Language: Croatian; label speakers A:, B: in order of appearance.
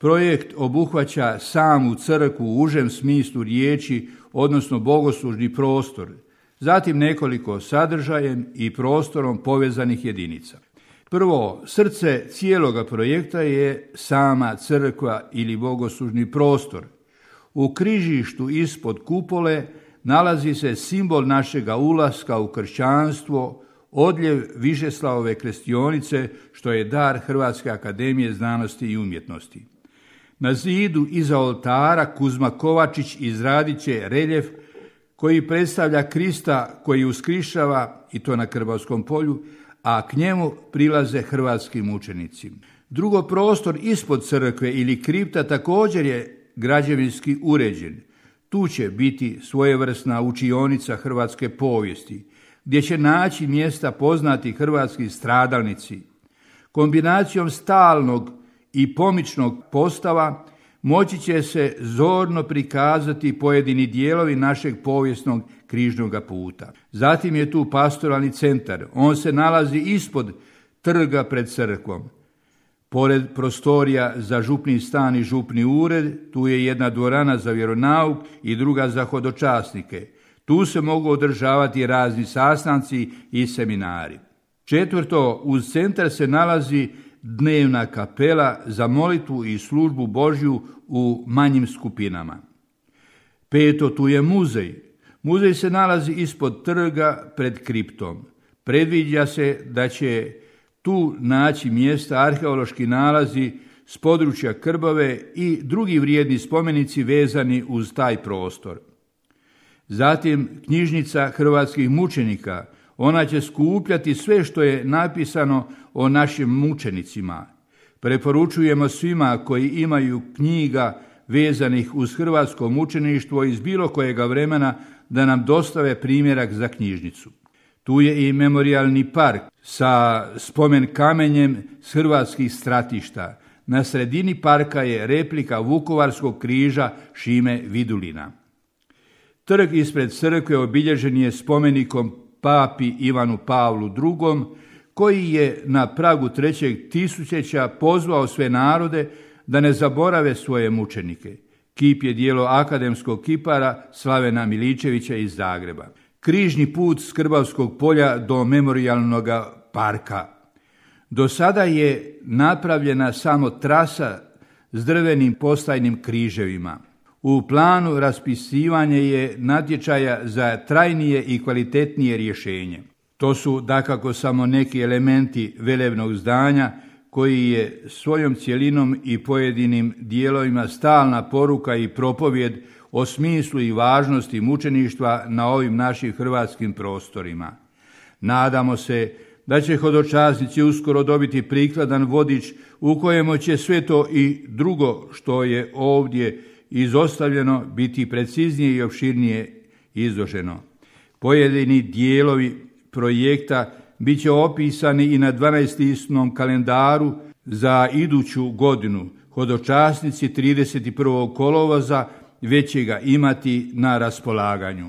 A: Projekt obuhvaća samu crkvu u užem smislu riječi, odnosno bogoslužni prostor, zatim nekoliko sadržajem i prostorom povezanih jedinica. Prvo, srce cijeloga projekta je sama crkva ili bogoslužni prostor. U križištu ispod kupole nalazi se simbol našega ulaska u kršćanstvo, odljev Višeslavove krestionice, što je dar Hrvatske akademije znanosti i umjetnosti. Na zidu iza oltara Kuzma Kovačić izradit će reljef koji predstavlja Krista koji uskrišava, i to na Krbavskom polju, a k njemu prilaze hrvatski mučenici. Drugo, prostor ispod crkve ili kripta također je građevinski uređen. Tu će biti svojevrsna učionica hrvatske povijesti, gdje će naći mjesta poznati hrvatski stradalnici. Kombinacijom stalnog i pomičnog postava moći će se zorno prikazati pojedini dijelovi našeg povijesnog križnog puta. Zatim je tu pastoralni centar. On se nalazi ispod trga pred crkvom. Pored prostorija za župni stan i župni ured, tu je jedna dvorana za vjeronauk i druga za hodočasnike. Tu se mogu održavati razni sastanci i seminari. Četvrto, uz centar se nalazi dnevna kapela za molitvu i službu Božju u manjim skupinama. Peto, tu je muzej. Muzej se nalazi ispod trga pred kriptom. Predviđa se da će tu naći mjesta arheološki nalazi s područja Krbave i drugi vrijedni spomenici vezani uz taj prostor. Zatim knjižnica hrvatskih mučenika. Ona će skupljati sve što je napisano o našim mučenicima. Preporučujemo svima koji imaju knjiga vezanih uz hrvatsko mučeništvo iz bilo kojega vremena da nam dostave primjerak za knjižnicu. Tu je i memorijalni park sa spomen kamenjem s hrvatskih stratišta. Na sredini parka je replika Vukovarskog križa Šime Vidulina. Trg ispred crkve obilježen je spomenikom papi Ivanu Pavlu II, koji je na pragu 3. tisućeća pozvao sve narode da ne zaborave svoje mučenike. Kip je dijelo akademskog kipara Slavena Miličevića iz Zagreba. Križni put s Krbavskog polja do memorijalnog parka. Do sada je napravljena samo trasa s drvenim postajnim križevima. U planu raspisivanje je natječaja za trajnije i kvalitetnije rješenje. To su dakako samo neki elementi velebnog zdanja koji je svojom cjelinom i pojedinim dijelovima stalna poruka i propovjed o smislu i važnosti mučeništva na ovim našim hrvatskim prostorima. Nadamo se da će hodočasnici uskoro dobiti prikladan vodič u kojemu će sve to i drugo što je ovdje izostavljeno biti preciznije i opširnije izloženo. Pojedini dijelovi projekta bit će opisani i na 12-tisnom kalendaru za iduću godinu. Hodočasnici 31. kolovoza već će ga imati na raspolaganju.